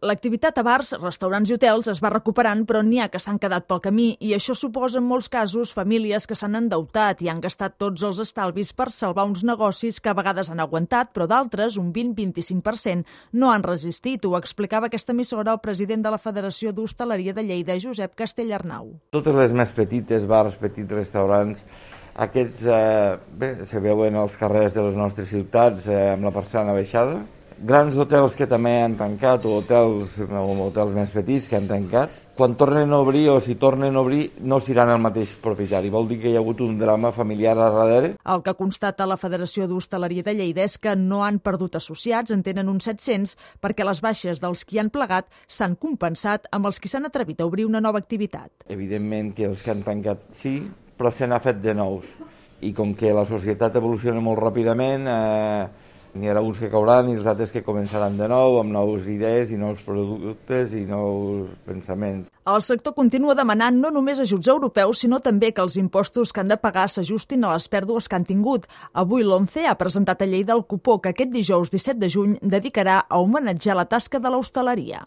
L'activitat a bars, restaurants i hotels es va recuperant, però n'hi ha que s'han quedat pel camí i això suposa en molts casos famílies que s'han endeutat i han gastat tots els estalvis per salvar uns negocis que a vegades han aguantat, però d'altres, un 20-25%, no han resistit. Ho explicava aquesta emissora el president de la Federació d'Hostaleria de Lleida, Josep Castellarnau. Totes les més petites, bars, petits restaurants, aquests se veuen als carrers de les nostres ciutats amb la persiana baixada. Grans hotels que també han tancat o hotels més petits que han tancat. Quan tornen a obrir o si tornen a obrir no seran el mateix propietari. Vol dir que hi ha hagut un drama familiar a darrere. El que constata la Federació d'Hostaleria de Lleida és que no han perdut associats, en tenen uns 700, perquè les baixes dels qui han plegat s'han compensat amb els qui s'han atrevit a obrir una nova activitat. Evidentment que els que han tancat sí, però se n'ha fet de nous. I com que la societat evoluciona molt ràpidament, n'hi haurà uns que cauran i els altres que començaran de nou amb noves idees i nous productes i nous pensaments. El sector continua demanant no només ajuts europeus, sinó també que els impostos que han de pagar s'ajustin a les pèrdues que han tingut. Avui l'ONCE ha presentat a Lleida el cupó que aquest dijous 17 de juny dedicarà a homenatjar la tasca de l'hostaleria.